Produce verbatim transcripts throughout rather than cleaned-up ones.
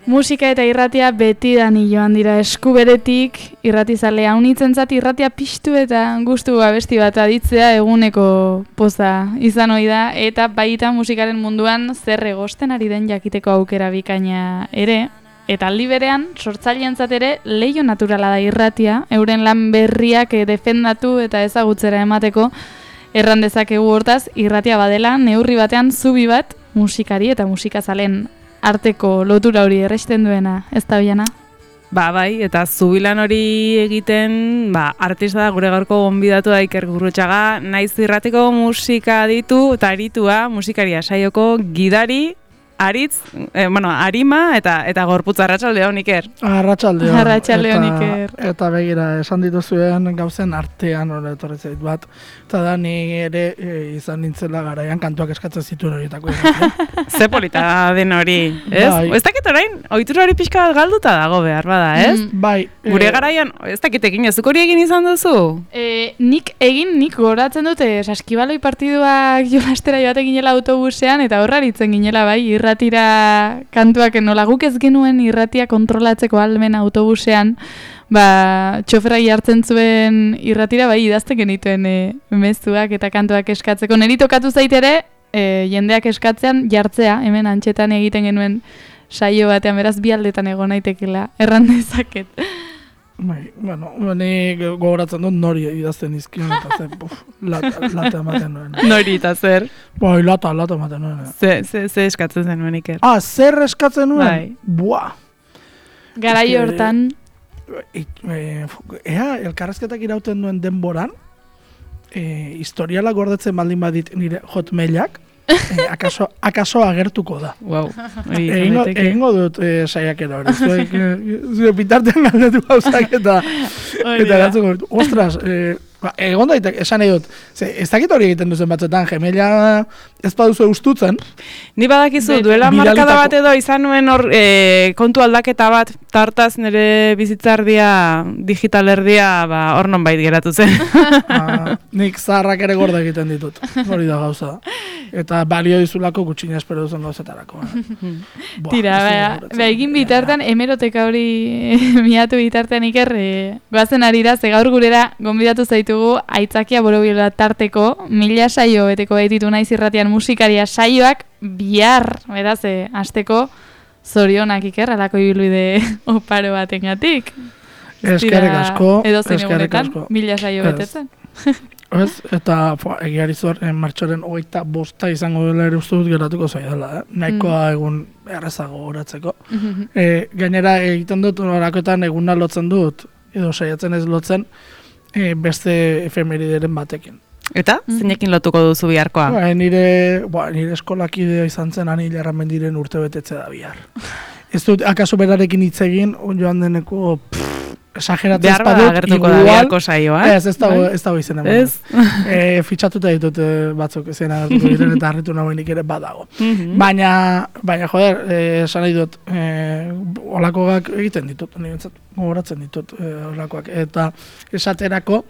Musika eta irratia betidani joan dira eskuberetik, irratizalea unitzentzat irratia piztu eta gustu abesti bat aditzea eguneko poza izan ohi da, eta baita musikaren munduan zer egosten ari den jakiteko aukera bikaina ere, eta aldi berean sortzaileentzat ere leiho naturala da irratia, euren lan berriak defendatu eta ezagutzera emateko. Erran dezakegu hortaz, irratia badela neurri batean zubi bat musikari eta musikazalen arteko lotura hori erresten duena, ez da biana? Ba, bai, eta zubilan hori egiten, ba, artista da gure gaurko gonbidatu da Iker Gurrutxaga, naiz irratiko musika ditu eta aritua, musikaria saioko gidari, aritz, eh, bueno, arima eta eta gorputz. Arratsaldeon, Iker. Arratsaldeon. Arratsaldeon, Iker. Eta begira, esan dituzuen gauzen artean hori etorri zait bat. Eta da ni ere e, izan nintzela garaian kantuak eskatzen zituen horietako. Ze polita den hori, ez? Bai. Ez dakit orain, ohitura hori pixka bat galduta dago behar bada, ez? Mm. Bai. Gure e, garaian, ez dakit egin, ezuk hori egin izan duzu? E, nik egin, nik goratzen dute, saskibaloi partiduak jolastera joate ginela autobusean, eta horraritzen ginela bai, irratira kantuak nola guk ez genuen irratia kontrolatzeko almen autobusean, ba, txoferai hartzen zuen irratira, bai, idazten genituen e, mezuak eta kantuak eskatzeko. Neri tokatu zaitere, e, jendeak eskatzean jartzea, hemen antxetan egiten genuen saio batean, beraz bi aldetan egon naitekela, erran dezaket. Bai, bueno, ni gogoratzen dut nori idazten izkion, eta zen, puf, lata, lata ematen nuen. Nori eta zer? Bai, lata, lata ematen nuen. Ze, ze, ze eskatzen zenuen, Iker? Ah, zer eskatzen nuen? Bai. Buah! Garai hortan, E, e, ea, elkarrezketak irauten duen denboran, e, historiala gordetzen baldin badit nire hotmailak, e, akaso, akaso agertuko da. Wow. Egingo, egingo dut e, saiakera hori. Zuek, e, zure bitartean galdetu gauzak eta eta gatzuko dut. Ostras, e, ba, egon daitek, esan nahi dut, ze, ez dakit hori egiten duzen batzuetan, gemela ez baduzu eustutzen. Ni badakizu, Be- duela bidalitako- markada bat edo izan nuen hor e, kontu aldaketa bat, tartaz nire bizitzardia, digital erdia, ba, hor nonbait geratu zen. Ah, nik zaharrak ere gorda egiten ditut. Hori da gauza. Eta balio dizulako gutxina espero duzen gauzetarako. Buah, tira, ez dut ba, gogoratzen. ba, egin bitartean, hemeroteka hori miatu bitartean Iker, e, goazen arira, ze gaur gurera gonbidatu zaitu aitzakia borobila tarteko, mila saio beteko baititu naiz irratian musikaria saioak bihar, beraz, e, asteko zorionak Iker, alako ibilbide oparo batengatik. Eskerrik asko, Edo zein eskerrik egunetan, asko. mila saio Ez. betetzen. Ez, eta egiari zuer, martxoren hogeita bosta izango dela ere uste dut geratuko zaidala, eh? Nahikoa egun errezago horatzeko. E, gainera egiten dut, orakoetan eguna lotzen dut, edo saiatzen ez lotzen, e, beste efemerideren batekin. Eta, zeinekin lotuko duzu biharkoa? Ba, nire, ba, nire eskolakidea izan zen Ani Larramendiren urte betetze da bihar. Ez dut, akaso berarekin hitz egin, joan deneko, pff, esageratzen Behar bada espadut, agertuko da igual, biharko saioa. ez, ez dago, ez dago izen eman. Ez? E, fitxatuta ditut e, batzuk zen agertuko diren eta harritu nagoenik ere badago. Mhm. Baina, baina joder, e, esan nahi dut, e, olakoak egiten ditut, niretzat gogoratzen ditut e, olakoak. Eta esaterako,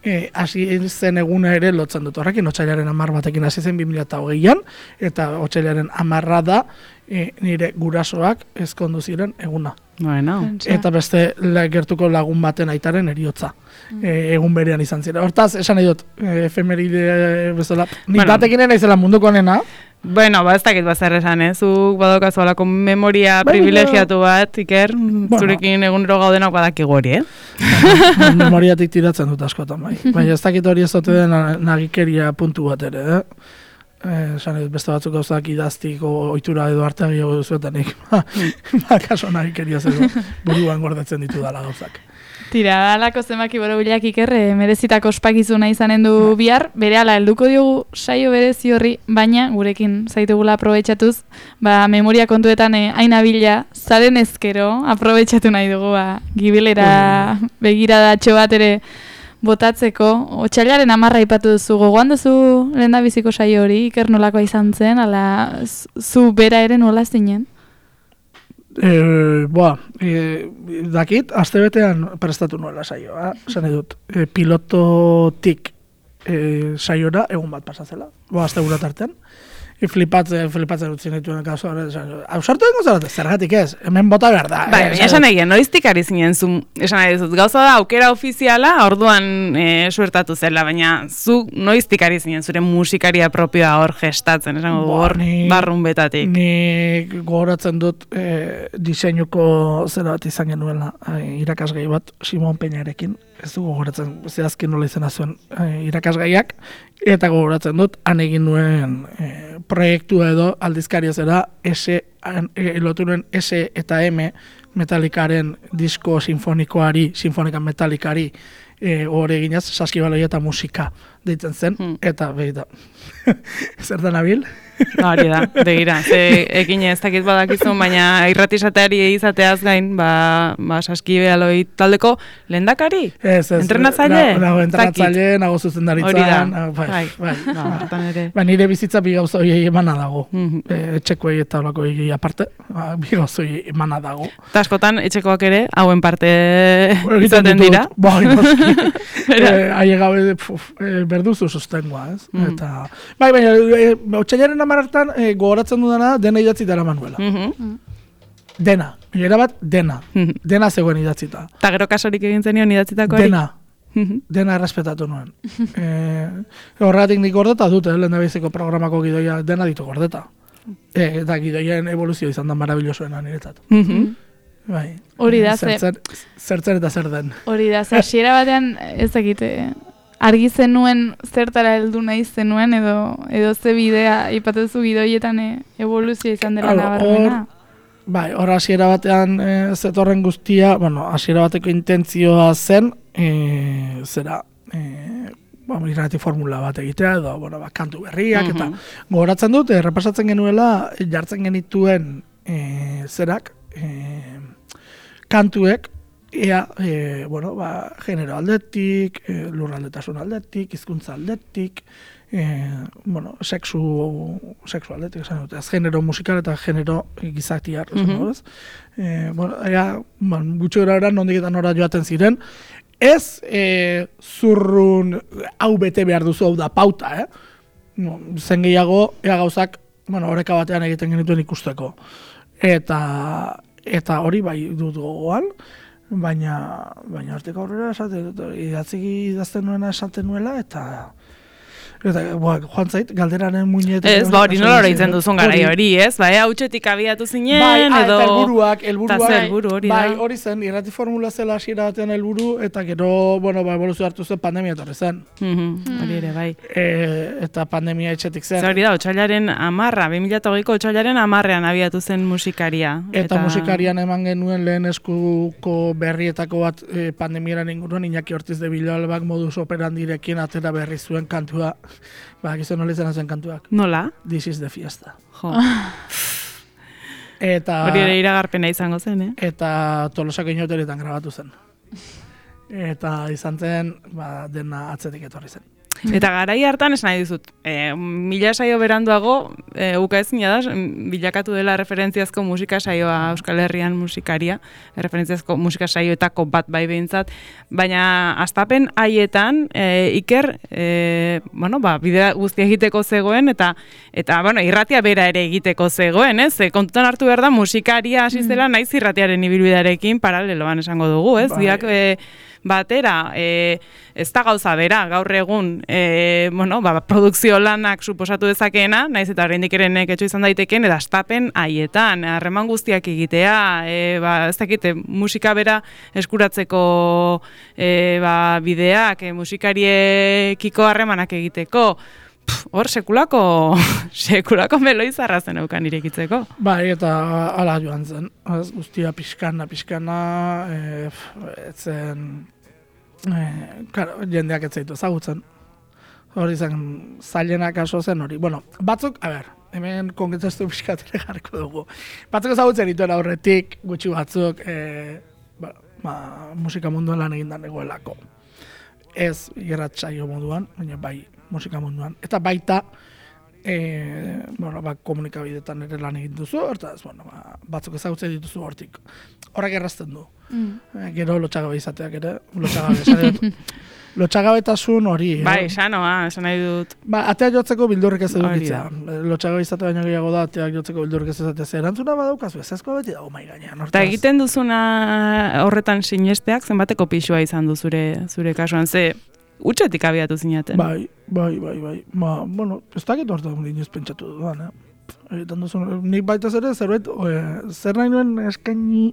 E, hasi zen eguna ere lotzen dut. Horrekin otsailaren hamar batekin hasi zen bi mila hogeian, eta otsailaren hamarra da e, nire gurasoak ezkondu ziren eguna. Bueno. Eta beste la, gertuko lagun baten aitaren eriotza. E, egun berean izan ziren. Hortaz, esan nahi dut, e, efemeride bezala, nik Bueno. batekin naizela munduko nena, Bueno, ba, ez dakit bazer esan, eh? Zuk badokazu alako memoria Bai, privilegiatu bat, Iker, zurekin egunero gaudenak badakigu hori, eh? memoriatik tiratzen dut askotan, bai. Baina ez dakit hori ez dute den nagikeria puntu bat ere, eh? Eh, esan nahi dut, beste batzuk gauzak idaztiko ohitura edo artean gehiago duzuetanik, ba, ba, kaso nagikeria zego, buruan gordetzen ditu dala gauzak. Tira, alako zenbaki borobilak Iker, e, merezitako ospakizuna izanen du bihar, berehala helduko diogu saio berezi horri, baina gurekin zaitugula aprobetxatuz, ba, memoria kontuetan e, aina bila, zaren ezkero, aprobetxatu nahi dugu, ba, gibilera begiradatxo bat ere botatzeko. Otsailaren hamarra aipatu duzu, gogoan duzu lehendabiziko saio hori, Iker nolakoa izan zen, ala zu bera ere nola zinen? E, boa, e, dakit, astebetean prestatu nuela saioa, esan edut, e, pilototik e, saiora egun bat pasazela, boa, aste gura tartean, flipatzen, flipatzen utzien dituen kasu. Ausartu dengo zarate, zergatik ez, hemen bota behar da. Bai, baina esan egin, noiztik ari zinen zu, esan nahi dizut, gauza da, aukera ofiziala, orduan e, suertatu zela, baina zu noiztik ari zinen zure musikaria propioa hor gestatzen, esango du hor barrun betatik. Ni gogoratzen dut e, diseinuko zera bat izan genuela, e, irakasgai bat, Simon Peñarekin, ez du gogoratzen, zehazkin nola izena zuen e, irakasgaiak, eta gogoratzen dut, han egin nuen e, proiektua edo aldizkaria zera, S, e, lotu nuen S eta M Metallicaren disko sinfonikoari, sinfonika Metallicari, e, hori eginaz, saskibaloia eta musika deitzen zen, hmm. eta behita, zer da nabil? Hori da, begira, ze ekin ez dakit badakizun, baina irratizateari izateaz gain, ba, ba saskibaloi taldeko lehendakari? Ez, ez. Entrenatzaile? Nago entrenatzaile, nago zuzendaritzan. Bai, bai. Ba, nire bizitza bi gauza horiei emana dago. Etxekoei eta holako horiei aparte, bi gauza horiei emana dago. Eta askotan, etxekoak ere, hauen parte izaten dira? Bai, noski. Haie gabe, berduzu sustengoa, ez? Eta, bai, baina, otxailaren amartan e, gogoratzen dudana dena idatzita era Manuela. Mm-hmm. Dena. Era bat, dena. Mm-hmm. Dena zegoen idatzita. Ta gero kasorik egin zenion idatzitako hori? Dena. Mm-hmm. Dena errespetatu nuen. e, horregatik nik gordeta dute, lehen da biziko programako gidoia dena ditu gordeta. E, eta gidoien evoluzio izan da marabillosoena niretzat. Mm-hmm. Bai. Hori da, ze. Zertzen eta zer den. Hori da, ze. Hasiera batean ez dakite... Argi zenuen zertara heldu nahi zenuen edo edo ze bidea ipatuzu gidoietan e, evoluzioa izan dela nabarmena. Bai, hor hasiera batean e, zetorren guztia, bueno, hasiera bateko intentzioa zen, e, zera, e, ba, irrati formula bat egitea edo, bueno, ba, kantu berriak eta gogoratzen dut, errepasatzen genuela jartzen genituen e, zerak, e, kantuek ea, e, bueno, ba, genero aldetik, e, lurraldetasun aldetik, hizkuntza aldetik, e, bueno, sexu, sexu aldetik, esan dut, ez genero musikal eta genero gizatiar, esan dut, ez? E, bueno, ea, ban, gutxo gara nondik eta nora joaten ziren, ez e, zurrun hau bete behar duzu, hau da pauta, eh? No, zen gehiago, ea gauzak, bueno, oreka batean egiten genituen ikusteko. Eta, eta hori bai dut gogoan, baina baina hortik aurrera esaten idatzi idazten nuena esaten nuela eta eta joan zait galderaren muinetan ez ba hori nola oroitzen duzun garai hori ez ba ea hutsetik abiatu zinen bai, edo helburuak helburuak helburu hori bai hori zen irrati formula zela hasiera batean helburu eta gero bueno ba eboluzio hartu zen pandemia etorri zen hori ere bai e, eta pandemia etxetik zen hori da otsailaren hamarra bi mila hogeiko otsailaren hamarrean abiatu zen musikaria eta, eta musikarian eman genuen lehen eskuko berrietako bat e, pandemiaren inguruan Iñaki Ortiz de Villalbak modus operandirekin atera berri zuen kantua. Ba, gizu nola izan zen kantuak. Nola? This is the fiesta. Jo. Eta... Hori ere iragarpena izango zen, eh? Eta Tolosako inoteretan grabatu zen. Eta izan zen, ba, dena atzetik etorri zen. Eta garai hartan esan nahi dizut, e, mila saio beranduago, e, uka ezina da, bilakatu dela referentziazko musika saioa Euskal Herrian musikaria, referentziazko musika saioetako bat bai behintzat, baina astapen haietan e, Iker, e, bueno, ba, bidea guztia egiteko zegoen, eta, eta bueno, irratia bera ere egiteko zegoen, ez? E, kontutan hartu behar da musikaria hasi zela naiz irratiaren ibilbidearekin paraleloan esango dugu, ez? Biak, e, batera, e, ez da gauza bera, gaur egun, e, bueno, ba, produkzio lanak suposatu dezakeena, naiz eta oraindik ere neketxo izan daiteken, eta astapen haietan, harreman guztiak egitea, e, ba, ez dakite, musika bera eskuratzeko e, ba, bideak, e, musikariekiko harremanak egiteko, hor sekulako, sekulako meloizarra zen eukan irekitzeko. Bai, eta ala joan zen. Az, guztia pixkana, pixkana, e, etzen, e, karo, jendeak ez zaitu ezagutzen. Hori zen, zailenak aso zen hori. Bueno, batzuk, a ber, hemen konkretaztu pixkatere jarko dugu. Batzuk ezagutzen dituen aurretik, gutxi batzuk, e, ba, ba, musika munduan lan egindan egoelako. Ez irratsaio moduan, baina bai, musika munduan. Eta baita, E, bueno, ba, komunikabidetan ere lan egin duzu, hortaz, bueno, ba, batzuk ezagutzen dituzu hortik. Horrak errazten du. Mm. E, gero lotxagabe izateak ere, lotxagabe esan dut. Lotxagabetasun hori. Bai, eh? sanoa, esan nahi dut. Ba, ateak jotzeko bildurrik ez edukitzea. Lotxagabe izate baino gehiago da, ateak jotzeko bildurrik ez ezatea. Zer erantzuna badaukazu, ez ezkoa beti dago mai gainean. Eta egiten duzuna horretan sinesteak, zenbateko pixua izan du zure, zure kasuan, ze utxetik abiatu zinaten. Bai, bai, bai, bai. Ba, bueno, ez dakit horretan inoiz pentsatu dudan, eh? Egiten duzun, nik baitaz ere, zerbait, e, zer nahi nuen eskaini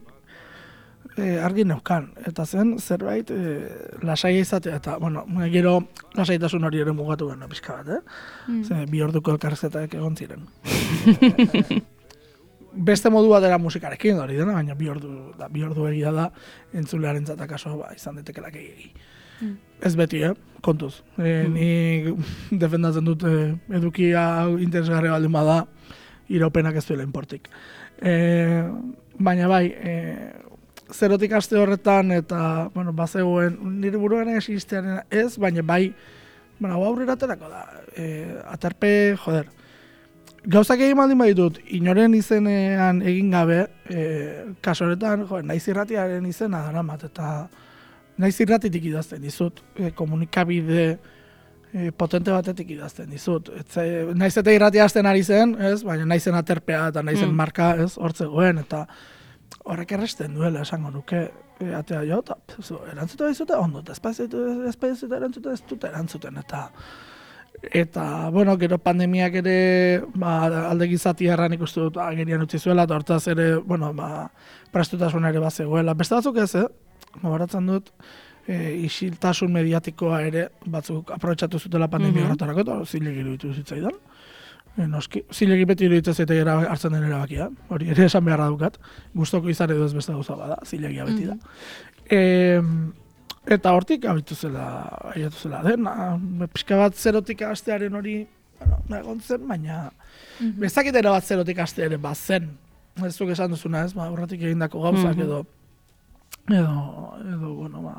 e, argi neukan. Eta zen, zerbait, e, lasaia izatea, eta, bueno, gero lasaitasun hori ere mugatu gana pixka bat, eh? Mm. Ze, bi orduko elkarrezketak egon ziren. e, beste modu bat dela musikarekin hori dena, baina bi ordu, da, bi ordu egia da, entzulearen zatakaso, ba, izan detekelak egi. Mm. Ez beti, eh? Kontuz. E, mm. Ni defendatzen dut e, edukia interesgarri baldin bada, iraupenak ez duela inportik. E, baina bai, e, zerotik aste horretan eta, bueno, bazegoen, nire buruan existearen ez, baina bai, bueno, aurrera aterako da. E, aterpe, joder, gauzak egin baldin baditut, inoren izenean egin gabe, e, kaso horretan, joder, naiz irratiaren izena daramat, eta naiz irratitik idazten dizut, e, komunikabide e, potente batetik idazten dizut. Etze, naiz eta irratia hasten ari zen, ez? Baina naizen aterpea eta naizen mm. marka, ez? Hortzegoen, eta horrek erresten duela, esango nuke, e, atea jo, eta erantzuta dizute, ondo, eta espazioa erantzuta ez dute erantzuten, eta eta, bueno, gero pandemiak ere, ba, alde gizati erran ikustu dut agerian utzi zuela, eta hortaz ere, bueno, ba, prestutasun ere bazegoela. Beste batzuk ez, eh? Gobaratzen dut, e, isiltasun mediatikoa ere batzuk aprobetxatu zutela pandemia horretarako, mm -hmm. eta zilegi iruditu zitzaidan. E, noski, zilegi beti iruditzen zaite hartzen den erabakia, hori ere esan beharra dukat, gustoko izan edo ez beste gauza bada, zilegia beti da. Mm -hmm. e, eta hortik abitu zela, abiatu zela dena, pixka bat zerotik astearen hori, bueno, egon zen, baina mm -hmm. bezakitera bat zerotik astearen bat zen. Ez duk esan duzuna ez, ba, horretik egindako gauzak mm -hmm. edo edo, edo, bueno, ba,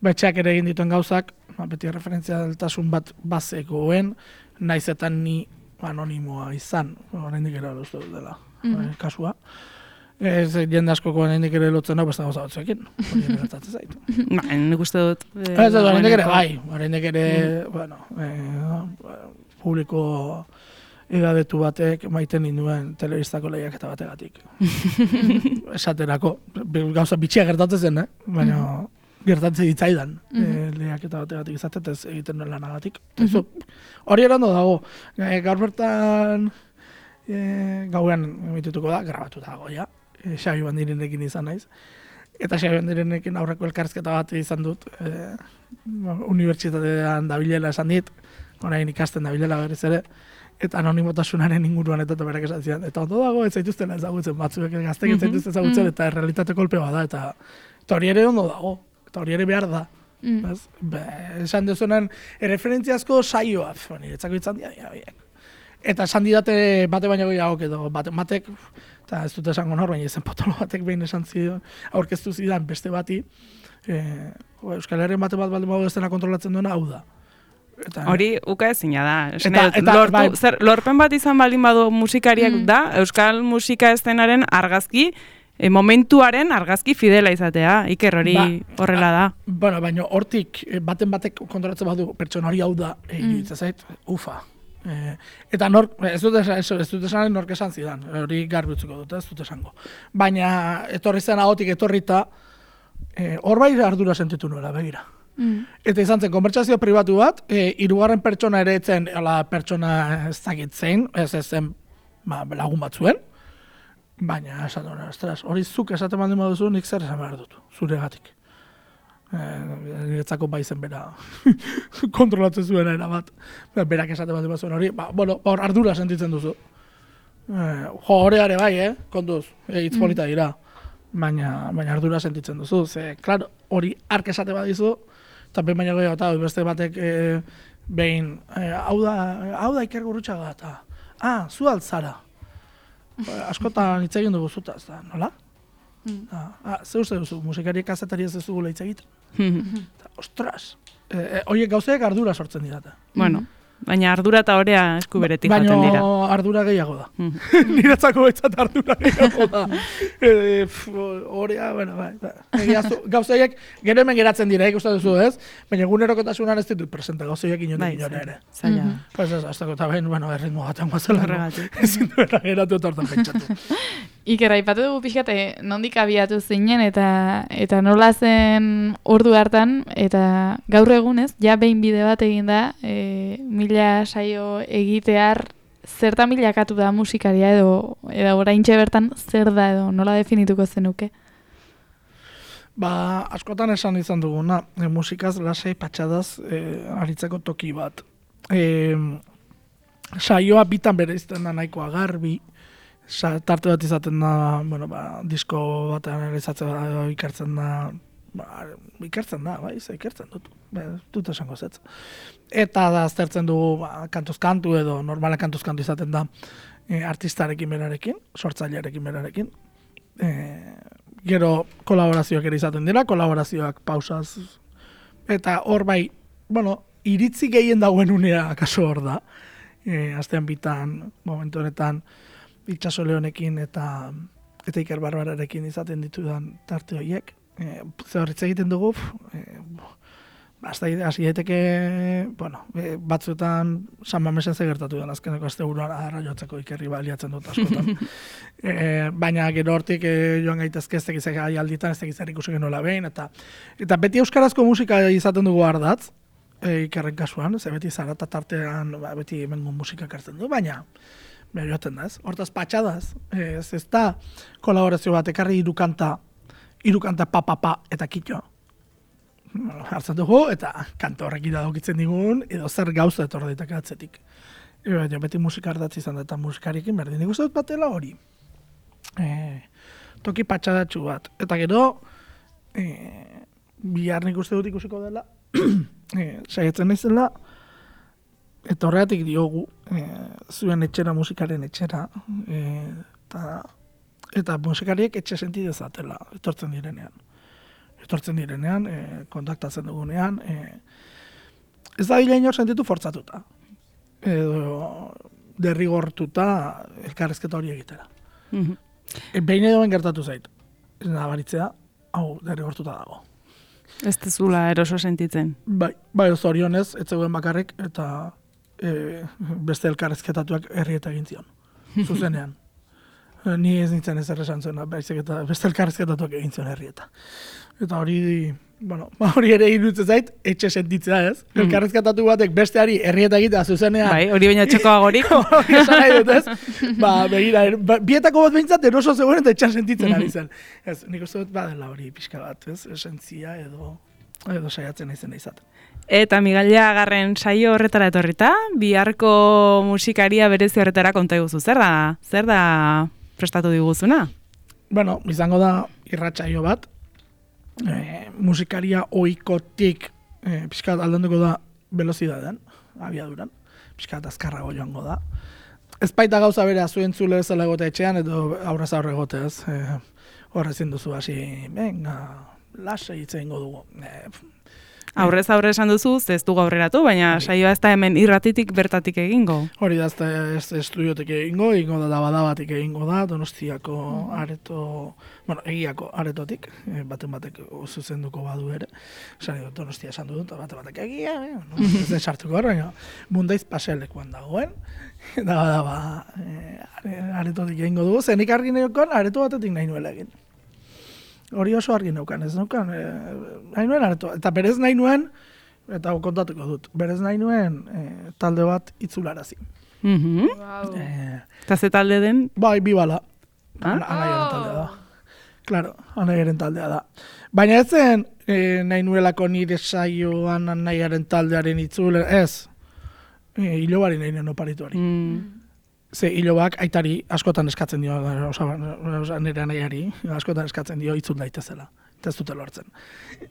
betxeak ere egin dituen gauzak, ba, beti referentzialtasun bat bazegoen, naizetan ni anonimoa izan, oraindik ere uste dut dela, mm -hmm. kasua. Ez jende askoko oraindik ere lotzen hau beste gauza batzuekin, hori ere gertatzen zaitu. Ba, nik uste dut. Ez dut, oraindik ere bai, oraindik ere, bueno, eh, publiko edadetu batek maiten ninduen telebistako lehiaketa bategatik. Esaterako, gauza bitxia gertatzen zen, eh? Baina mm -hmm. gertatzen ditzaidan mm -hmm. e, lehiaketa bategatik izatetez egiten nuen lanagatik. Mm -hmm. Hori erando dago, e, gaur bertan e, gauean emitituko da, grabatu dago, ja. E, Xabi Bandirenekin izan naiz. Eta Xabi Bandirenekin aurreko elkarrizketa bat izan dut, e, unibertsitatean dabilela esan dit, orain ikasten dabilela berriz ere, eta anonimotasunaren inguruan eta berak esan zidan. Eta ondo dago, ez zaituztela ezagutzen, batzuek gaztek ez zaituzten ezagutzen, eta errealitate kolpe bada, eta, eta hori ere ondo dago, eta hori ere behar da. Mm. Be, esan dezunen, erreferentziazko saioa, niretzako izan dira, dira, dira. Eta esan didate bate baino gehiago edo, bate, batek, eta ez dut esango nor, baina izen potolo batek behin esan zidan, aurkeztu zidan beste bati, e, Euskal Herrian bate bat baldin bago ez dena kontrolatzen duena, hau da. Eta, hori uka ezina da. Eta, eta, lortu, bai. Zer, lorpen bat izan baldin badu musikariak mm. da, euskal musika eszenaren argazki, e, momentuaren argazki fidela izatea, Iker hori ba, horrela da. Bueno, baina hortik baten batek kontrolatzen badu pertsona hori hau da, e, mm. iruditzen zait, ufa. E, eta nor, ez dut esan, ez dut esan nork esan zidan, hori garbi utziko dut, ez dut esango. Baina etorri zen ahotik etorrita, hor e, bai ardura sentitu nuela, begira. Mm. Eta izan zen, konbertsazio pribatu bat, e, hirugarren pertsona ere etzen, ala pertsona ez dakit zein, ez ez zen ba, lagun bat zuen, baina esan duen, ostras, hori zuk esaten baldin baduzu, nik zer esan behar dut, zuregatik. E, niretzako bai zen bera kontrolatzen zuen erabat, berak esaten baldin baduzuen hori, ba, bueno, hor ardura sentitzen duzu. E, jo, horeare bai, eh, kontuz, e, hitz polita dira, baina, baina ardura sentitzen duzu, ze, klaro, hori ark esate badizu, eta behin baina gehiago eta beste batek e, behin, e, hau da, hau da Iker Gurrutxaga eta, ah, zu altzara. Askotan hitz egin dugu zutaz, da, nola? Mm. Ah, ze uste duzu, musikariek kazetari ez dugula hitz egiten. Ostras, e, e, horiek gauzeek ardura sortzen didate. Bueno. Baina ardura eta orea eskuberetik jaten dira. Baina ardura gehiago da. Mm. Niretzako betzat ardura gehiago da. E, orea, bueno, bai, bai. Gauzaiek, gero hemen geratzen dira, ikusten duzu ez, baina egunerokotasunan ez ditut presenta, gauzaiek inondik inora ere. Zaila. Mhm. Pues ez, hasta eta behin, bueno, erritmo gaten guazela. Horregatik. Ezin duela geratu eta hortan pentsatu. Iker, aipatu dugu pixkate, nondik abiatu zinen eta eta nola zen ordu hartan, eta gaur egunez, ja behin bide bat egin da, e, mila saio egitear, zertan bilakatu da musikaria edo, edo oraintxe bertan zer da edo nola definituko zenuke? Ba, askotan esan izan duguna, e, musikaz lasai patxadaz e, aritzeko toki bat. E, saioa bitan bereizten da nahikoa garbi, Sa, tarte bat izaten da, bueno, ba, disko bat analizatzea ikertzen da, ba, ikertzen da, bai, ze ikertzen dut, ba, dut esango zetz. Eta da aztertzen dugu, ba, kantuz kantu edo normala kantuz kantu izaten da e, artistarekin berarekin, sortzailearekin berarekin. E, gero kolaborazioak ere izaten dira, kolaborazioak pausaz. Eta hor bai, bueno, iritzi gehien dagoen unea kaso hor da. E, astean bitan, momentu honetan, Itxaso Leonekin eta eta Iker Barbararekin izaten ditudan tarte horiek. E, Zehorritz egiten dugu, e, hasi daiteke, bueno, e, batzuetan San Mamesen zegertatu den azkeneko aste buruan arra jotzeko Ikerri baliatzen dut askotan. e, baina gero hortik e, joan gaitezke ez tegiz alditan, ez tegiz ikusi genola behin, eta eta beti euskarazko musika izaten dugu ardatz, e, Ikerren kasuan, ze beti zarata tartean, ba, beti hemengo musika kartzen du, baina Bera joaten da, ez? Hortaz patxadaz, ez ez da kolaborazio bat, ekarri irukanta, irukanta pa-pa-pa eta kitxo. Hartzen dugu, eta kanta horrekin dagokitzen digun, edo zer gauza etorra ditak atzetik. E, beti musika ardatzi izan da, eta musikarikin berdin. Nik uste dut batela hori. E, toki patxadatxu bat. Eta gero, e, bihar nik uste dut ikusiko dela, e, saietzen naizela, eta horregatik diogu, e, zuen etxera musikaren etxera, e, ta, eta musikariek etxe senti dezatela, etortzen direnean. Etortzen direnean, e, kontaktatzen dugunean, e, ez da dila inor sentitu fortzatuta. Edo derrigortuta elkarrezketa hori egitera. Mhm. E, behin edo ben gertatu zait, ez nabaritzea, hau derrigortuta dago. Ez tezula eroso sentitzen. Bai, bai zorionez, ez zegoen bakarrik, eta e, beste elkarrezketatuak herrieta egin zion, zuzenean. E, ni ez nintzen ez erresan zuena, baizik eta beste elkarrezketatuak egin zion herrieta. Eta hori, bueno, hori ere iruditzen zait, etxe sentitzea ez. Mm. Elkarrezketatu batek besteari herrieta egitea zuzenean. Bai, hori baina txokoagorik. Hori esan nahi dut ez. Ba, begira, ba, bietako bat behintzat eroso zegoen eta etxean sentitzen ari zen. Ez, nik uste dut badela hori pixka bat, ez, esentzia edo, edo saiatzen izen izaten. Eta Migalia Agarren saio horretara etorrita, biharko musikaria berezi horretara konta iguzu. Zer da? Zer da prestatu diguzuna? Bueno, izango da irratsaio bat, e, musikaria ohikotik e, pixkat aldenduko da velozidadean, abiaduran, pixkat azkarrago joango da. Ez baita gauza bera zuen zule bezala egote etxean, edo aurrez aurre egote ez, e, horrezin duzu hasi, venga, lasai hitz egingo dugu. E, Aurrez aurre esan duzu, ez dugu aurreratu, baina saioa ez da hemen irratitik bertatik egingo. Hori da, ez da ez estudiotik egingo, egingo da dabadabatik egingo da, Donostiako areto, bueno, egiako aretotik, e, baten batek zuzenduko badu ere. Esan dut, Donostia esan dut, baten batek egia, eh, no? Ez den sartuko hor, baina Mundaiz paselekuan dagoen, dabadaba e, aretotik egingo dugu, zenik argi neokon areto batetik nahi nuela egin. Hori oso argi neukan, ez neukan, e, nahi nuen areto, eta berez nahi nuen, eta kontatuko dut, berez nahi nuen e, talde bat itzularazi. Mhm. Wow. E, Eta ze talde den? bai, bi bala, Ah? anaiaren taldea da. Claro, anaiaren taldea da. Baina ez zen e, nahi nuelako nire saioan anaiaren taldearen itzule, ez, e, hilobari nahi nuen oparituari. Mm. Ze hilobak aitari askotan eskatzen dio, oza, nire anaiari, askotan eskatzen dio itzul daitezela. Eta ez dute lortzen.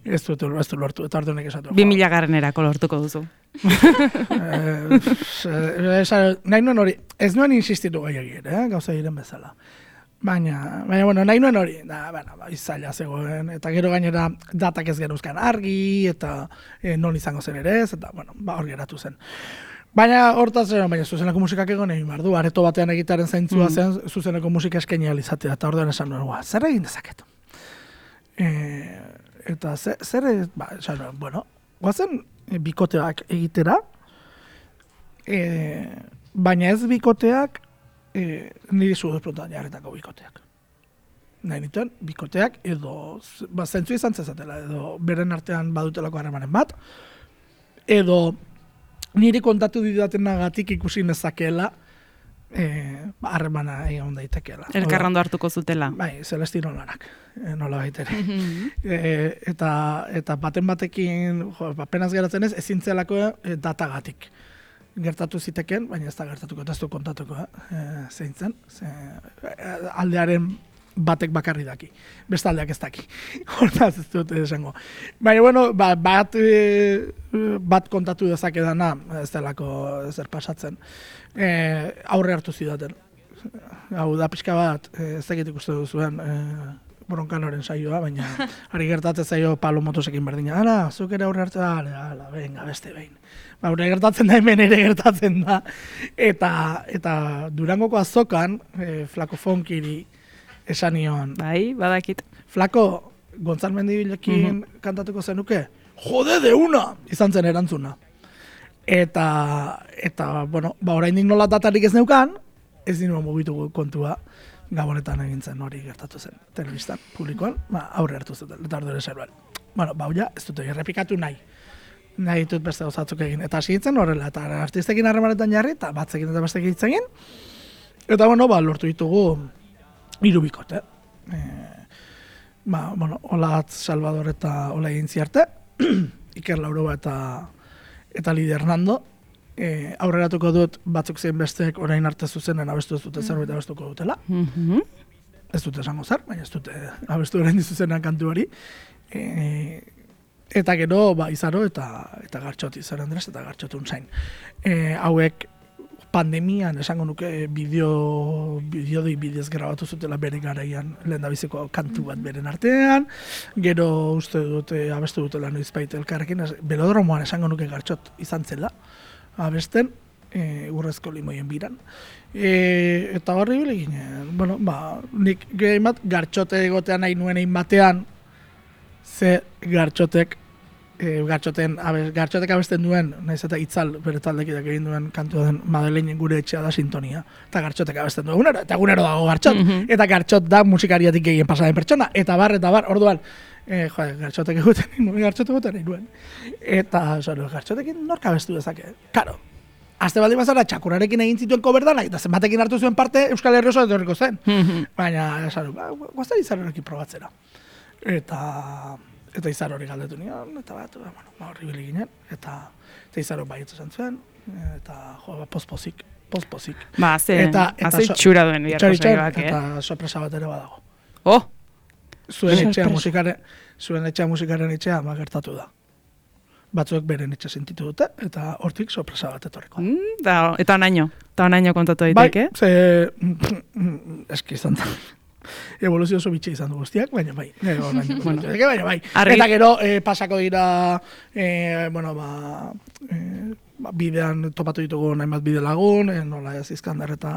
Ez dute ez dut lortu, eta orduanek esatu. Bi mila garrenerako lortuko duzu. Eh, nahi nuen hori, ez nuen insistitu gehiagir, eh, gauza diren bezala. Baina, baina, bueno, nahi nuen hori, da, bueno, ba, izaila zegoen, eta gero gainera datak ez genuzkan argi, eta e, non izango zen ere ez, eta, bueno, ba, hor geratu zen. Baina hortaz, baina zuzeneko musikak egon egin behar du, areto batean egitearen zaintzua mm. zen zuzeneko musika eskaini alizatea, eta orduan esan nuen, zer egin dezaket? E, eta zer, zer ba, esan nuen, bueno, guazen bikoteak egitera, e, baina ez bikoteak, e, niri zuduz prontoan jarretako bikoteak. Nahi nituen, bikoteak edo, ba, zentzu izan zezatela, edo beren artean badutelako harremanen bat, edo niri kontatu didatenagatik ikusi nezakeela harremana eh, egon daitekeela. Elkarrando hartuko zutela. Bai, Celestino lanak, eh, nola baitere. eh, eta, eta baten batekin, jo, apenas geratzen ez, ezintzelako eh, datagatik. Gertatu ziteken, baina ez da gertatuko, eta ez du kontatuko, eh, zein zen. Ze, aldearen batek bakarri daki, bestaldeak ez daki. Hortaz ez dut esango. Baina, bueno, ba, bat, e, bat kontatu dezakedana, ez delako zer pasatzen, e, aurre hartu zidaten. Hau da pixka bat, ez dakit ikuste duzuen, e, Broncanoren saioa, baina ari gertatzen zaio Pablo Motosekin berdina. Ara, zuk ere aurre hartu da, ala, venga, beste behin. Ba, aurre gertatzen da, hemen ere gertatzen da. Eta, eta Durangoko azokan, e, Flako Fonkiri, esan nion. Bai, badakit. Flako, Gontzal Mendibilekin mm-hmm. kantatuko zenuke? Jode de una! Izan zen erantzuna. Eta, eta bueno, ba, oraindik nola datarik ez neukan, ez dinua mugitu kontua, Gabonetan egin zen hori gertatu zen, telebistan, publikoan, ba, aurre hartu zuten, eta ordure zerbait. Bueno, ba, ja, ez dute errepikatu nahi. Nahi ditut beste osatzuk egin. Eta hasi hitzen horrela, eta artistekin harremanetan jarri, eta batzekin eta bestekin hitz egin. Eta, bueno, ba, lortu ditugu hiru bikote. E, ba, bueno, Olatz Salvador eta Ola egin ziarte, Iker Lauroba eta, eta Lidia Hernando. E, aurreratuko dut batzuk zein besteek orain arte zuzenen abestu ez dute zerbait abestuko dutela. Mm-hmm. Ez dute esango zer, baina ez dute abestu orain dizuzenan kantu hori. E, eta gero, ba, Izaro eta, eta Gartxot, Izaro Andres eta Gartxot Unzain. E, hauek pandemian esango nuke bideo, bideo dei bidez grabatu zutela bere garaian lehendabiziko kantu bat beren artean, gero uste dute abestu dutela noizbait elkarrekin, belodromoan esango nuke Gartxot izan zela, abesten, e, urrezko limoien biran. E, eta horri bile ginen, bueno, ba, nik gehi bat, Gartxote egotean nahi nuen egin batean, ze Gartxotek, e, Gartxoten, abes, Gartxotek abesten duen, nahiz eta itzal bere taldekideak egin duen kantua den Madeleinen gure etxea da sintonia, eta Gartxotek abesten duen egunero, eta egunero dago Gartxot, mm-hmm. eta Gartxot da musikariatik gehien pasaden pertsona, eta bar, eta bar, orduan, e, jo, Gartxotek eguten nuen, Gartxotek eguten nuen, eta, zoro, Gartxotekin norka abestu dezake, karo. Azte baldin bazara, txakurarekin egin zituen koberdanak, eta zenbatekin hartu zuen parte Euskal Herri oso etorriko zen. Mm-hmm. Baina, esan, ba, guazten Izarorekin probatzera. Eta, eta Izaro hori galdetu nion, eta bat, ba, bueno, ba, horri bili ginen, eta, eta Izaro baietzu zen zuen, eta, jo, ba, pospozik, pospozik. Ba, ze, haze itxura duen biharko saioak, eh? Eta sorpresa bat ere badago. Oh! Zuen etxea musikaren, zuen etxea musikaren etxea, ba, gertatu da. Batzuek beren etxe sentitu dute, eta hortik sorpresa bat etorriko. Mm, da, eta onaino, eta onaino kontatu daiteke. Bai, ze, eski izan da. Evoluzio oso bitxe izan du guztiak, baina bai. Onaino, bueno, baina bai. Arri... Eta gero, eh, pasako dira, eh, bueno, ba, eh, ba, bidean topatu ditugu nahimat bide lagun, eh, nola ez Izkander eta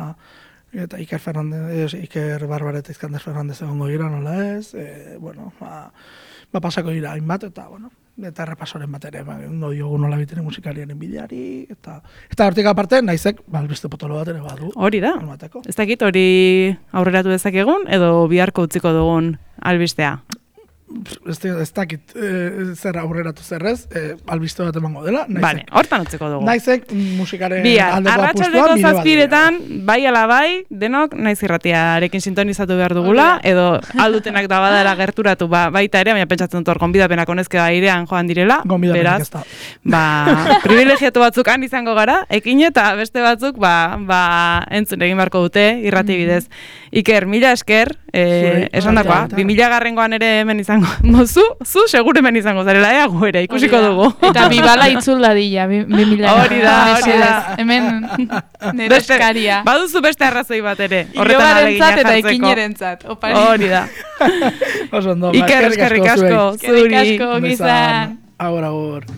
eta Iker Fernandez, Iker Barbar eta Izkander Fernandez egongo dira, nola ez, eh, bueno, ba, ba pasako dira hainbat, eta, bueno, eta errepasoren bat ere, ondo diogu nola bitene musikariaren bideari, eta eta hortik aparte, naizek, balbiste potolo bat ere badu. Hori da, ez dakit hori aurreratu dezakegun, edo biharko utziko dugun albistea? Ez, ez dakit e, zer aurreratu zerrez, e, albiste bat emango dela. Naizek, vale, hortan utziko dugu. Naizek musikaren Bihar, aldeko apustua nire bat. Arratsaldeko zazpiretan, bai ala bai, denok naiz irratiarekin sintonizatu behar dugula, edo aldutenak da badara gerturatu ba, baita ere, baina pentsatzen dut hor gonbidapenak honezke airean joan direla. Gonbidapenak ez da. Ba, privilegiatu batzuk han izango gara, ekin eta beste batzuk ba, ba, entzun egin beharko dute irrati bidez. Iker, mila esker, eh, esan dakoa, bi mila garrengoan ere hemen izango, mozu, zu segure hemen izango zarela, ea gu ere, ikusiko dugu. Eta bibala itzul dadila, bi mila. Hori da, hori da. Hemen nire eskaria. Baduzu beste arrazoi bat ere, horretan alegina jartzeko. Eta ekinerentzat, opari. Hori da. Oso ondo, Iker, eskerrik asko, zuri. Eskerrik asko, gizan. Agor, agor.